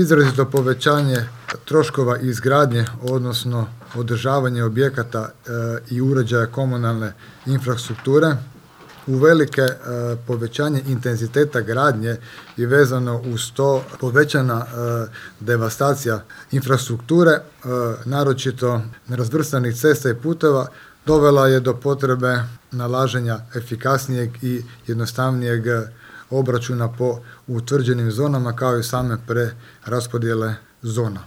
izrazito povećanje troškova izgradnje, odnosno održavanje objekata i uređaja komunalne infrastrukture, uvelike povećanje intenziteta gradnje i vezano uz to povećana devastacija infrastrukture, naročito nerazvrstanih cesta i puteva, dovela je do potrebe nalaženja efikasnijeg i jednostavnijeg obračuna po utvrđenim zonama kao i same preraspodjele zona.